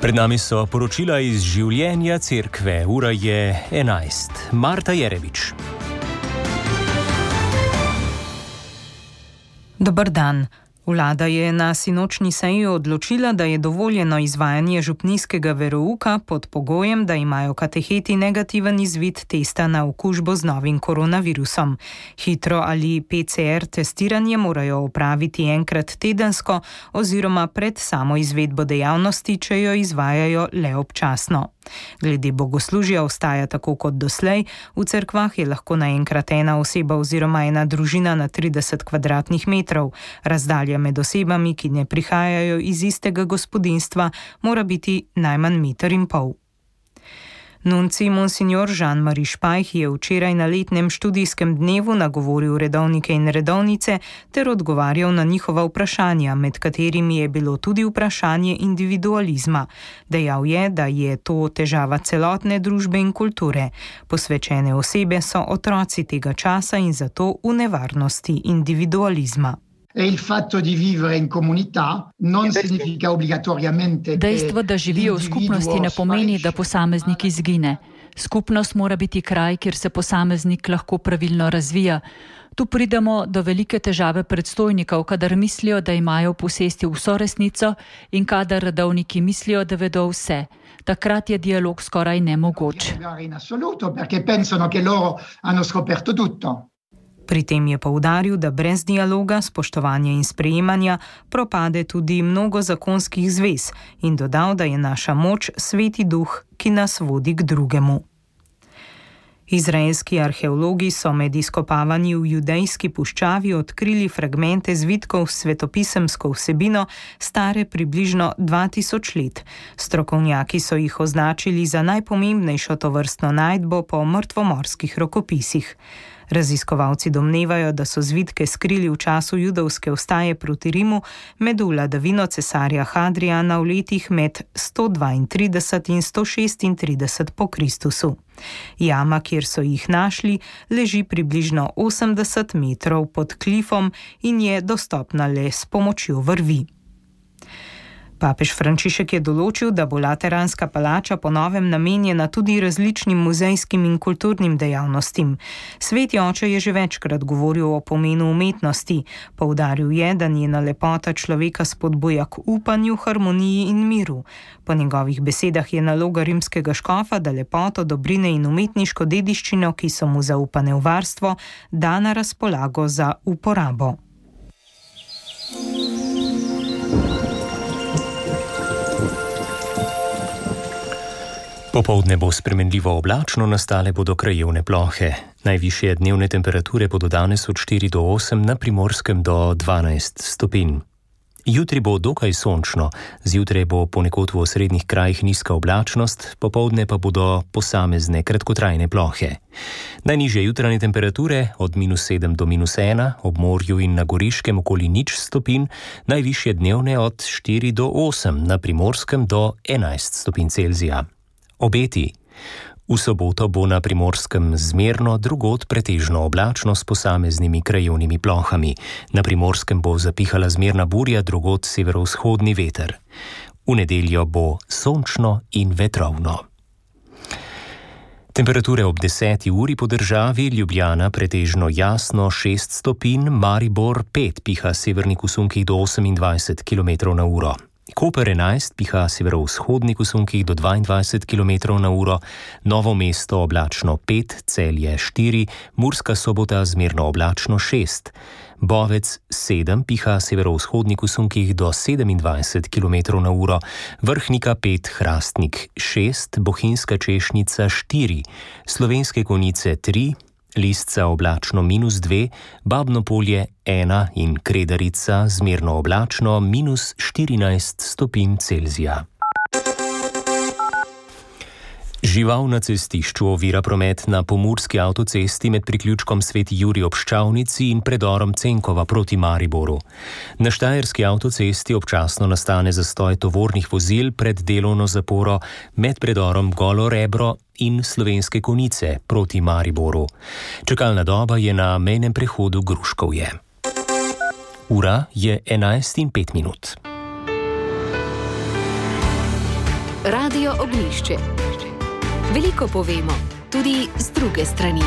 Pred nami so poročila iz življenja cerkve. Ura je 11. Marta Jerevič. Dober dan. Vlada je na sinočni seji odločila, da je dovoljeno izvajanje župnijskega verouka pod pogojem, da imajo kateheti negativen izvid testa na okužbo z novim koronavirusom. Hitro ali PCR testiranje morajo opraviti enkrat tedensko oziroma pred samo izvedbo dejavnosti, če jo izvajajo le občasno. Glede bogoslužja ostaja tako kot doslej. V cerkvah je lahko naenkrat ena oseba oziroma ena družina na 30 kvadratnih metrov. Razdalja med osebami, ki ne prihajajo iz istega gospodinjstva, mora biti najmanj 1,5 metra. Nuncij monsignor Jean-Marie Špajh je včeraj na letnem študijskem dnevu nagovoril redovnike in redovnice ter odgovarjal na njihova vprašanja, med katerimi je bilo tudi vprašanje individualizma. Dejal je, da je to težava celotne družbe in kulture. Posvečene osebe so otroci tega časa in zato v nevarnosti individualizma. Dejstvo, da živijo v skupnosti, ne pomeni, da posameznik izgine. Skupnost mora biti kraj, kjer se posameznik lahko pravilno razvija. Tu pridemo do velike težave predstojnikov, kadar mislijo, da imajo v posesti vso resnico in kadar redovniki mislijo, da vedo vse. Takrat je dialog skoraj nemogoč. Pri tem je poudaril, da brez dialoga, spoštovanja in sprejemanja propade tudi mnogo zakonskih zvez in dodal, da je naša moč Sveti Duh, ki nas vodi k drugemu. Izraelski arheologi so med izkopavanji v judejski puščavi odkrili fragmente zvitkov s svetopisemsko vsebino, stare približno 2000 let. Strokovnjaki so jih označili za najpomembnejšo tovrstno najdbo po mrtvomorskih rokopisih. Raziskovalci domnevajo, da so zvitke skrili v času judovske vstaje proti Rimu med vladavino cesarja Hadriana v letih med 132 in 136 po Kristusu. Jama, kjer so jih našli, leži približno 80 metrov pod klifom in je dostopna le s pomočjo vrvi. Papež Frančišek je določil, da bo Lateranska palača po novem namenjena tudi različnim muzejskim in kulturnim dejavnostim. Sveti oče je že večkrat govoril o pomenu umetnosti. Poudaril je, da njena lepota človeka spodbuja k upanju, harmoniji in miru. Po njegovih besedah je naloga rimskega škofa, da lepoto, dobrine in umetniško dediščino, ki so mu zaupane v varstvo, da na razpolago za uporabo. Popoldne bo spremenljivo oblačno, nastale bodo krajevne plohe. Najvišje dnevne temperature bodo danes od 4 do 8, na Primorskem do 12 stopinj. Jutri bo dokaj sončno, zjutraj bo ponekod v osrednjih krajih nizka oblačnost, popoldne pa bodo posamezne kratkotrajne plohe. Najnižje jutranje temperature od -7 do -1, ob morju in na Goriškem okoli 0 stopinj, najvišje dnevne od 4 do 8, na Primorskem do 11 stopinj Celzija. Obeti. V soboto bo na Primorskem zmerno, drugod pretežno oblačno s posameznimi krajevnimi plohami. Na Primorskem bo zapihala zmerna burja, drugod severovzhodni veter. V nedeljo bo sončno in vetrovno. Temperature ob 10. uri po državi: Ljubljana pretežno jasno 6 stopinj, Maribor 5, piha severnih v sunkih do 28 km/h. Koper 11, piha severovzhodnik v sunkih do 22 km/h, Novo mesto oblačno 5, Celje 4, Murska Sobota zmerno oblačno 6, Bovec 7, piha severovzhodnik v sunkih do 27 km/h, Vrhnika 5, Hrastnik 6, Bohinjska Češnica 4, Slovenske Konjice 3, Lisca oblačno -2, Babno Polje 1 in Kredarica zmerno oblačno -14 stopinj Celzija. Žival na cestišču ovira promet na pomurski avtocesti med priključkom Sveti Jurij ob Ščavnici in predorom Cenkova proti Mariboru. Na štajerski avtocesti občasno nastane zastoj tovornih vozil pred delovno zaporo med predorom Golo Rebro in Slovenske Konjice proti Mariboru. Čakalna doba je na mejnem prehodu Gruškovje. Ura je 11:05. Radio Ognjišče. Veliko povemo, tudi z druge strani.